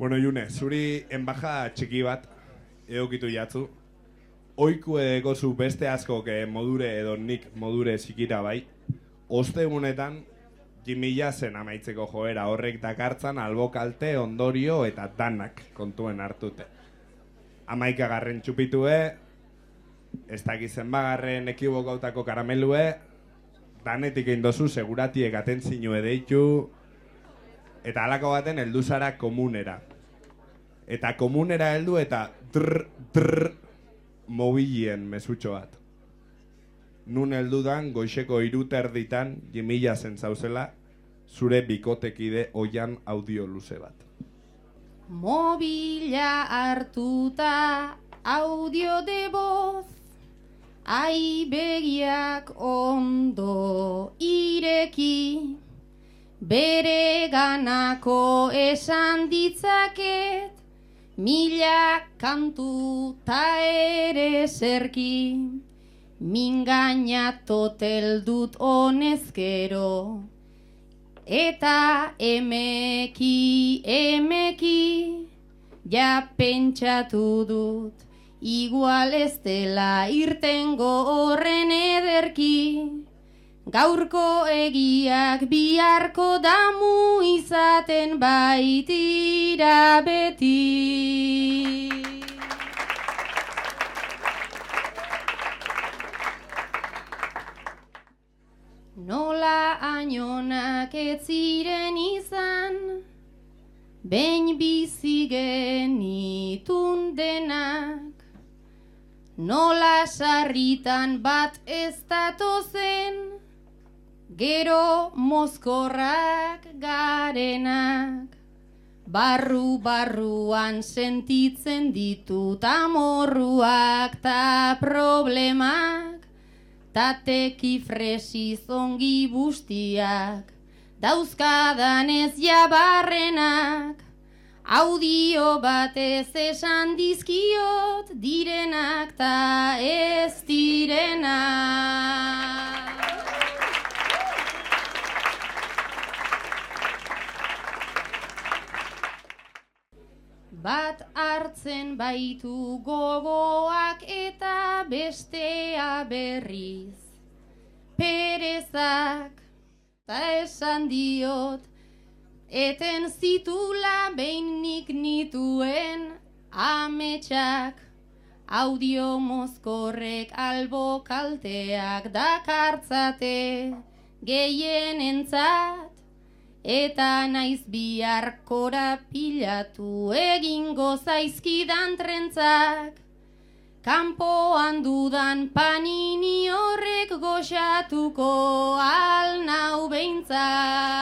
Bueno, June, zuri enbaja txiki bat egokitu jatzu. Oiku edeko zu beste asko modure edo nik modure zikira bai. Ostegunetan, jimila zen amaitzeko joera horrek dakartzan albokalte, ondorio eta danak kontuen hartute. 11. txupitue, ez dakizen bagarren ekibokautako karamelue, danetik eindozu seguratiek atentzinue deitu, eta halako baten heldu zara komunera. Eta komunera heldu eta drr mobilien mesutxo bat. Nun heldudan goixeko 3:30 jimila zen zauzela, zure bikotekide oian audio luze bat. Mobila hartuta audio de voz, ai begiak ondo ireki, bere ganako esan ditzaket, 1000 kantu ta ere zerki, mingaina totel dut honezkero. Eta emeki, ja pentsatu dut, igual ez dela irtengo horren ederki. Gaurko egiak biharko damu izaten baitira beti. Nola ainonak ez ziren izan, behin bizi genitun denak. Nola sarritan bat ez datozen, gero mozkorrak garenak. Barru-barruan sentitzen ditut amorruak ta problemak, tateki fresiz ongi bustiak, dauzkadanez jabarrenak, audio batez esan dizkiot direnak ta ez direnak. Bat hartzen baitu gogoak eta bestea berriz perezak, ta esan diot eten zitula behin nik nituen ametsak, audio mozkorrek albo kalteak dakartzate gehienentzat. Eta naiz bihar korapilatu egingo zaizkidan trentzak, kanpoan dudan panini horrek goxatuko al nau behintzat.